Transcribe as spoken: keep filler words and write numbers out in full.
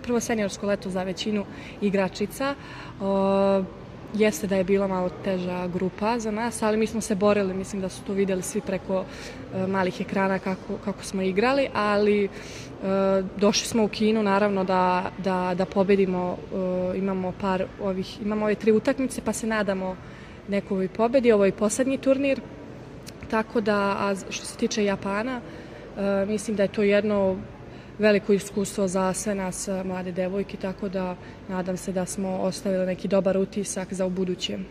prvo seniorsko leto za većinu igračica. Jeste da je bila malo teža grupa za nas, ali mi smo se borili, mislim da su to vidjeli svi preko malih ekrana kako, kako smo igrali, ali došli smo u Kinu naravno da, da, da pobedimo, imamo par ovih, imamo ove tri utakmice pa se nadamo nekoj pobedi, ovo je poslednji turnir, tako da, a što se tiče Japana, mislim da je to jedno veliko iskustvo za sve nas mlade devojke, tako da nadam se da smo ostavili neki dobar utisak za ubuduće.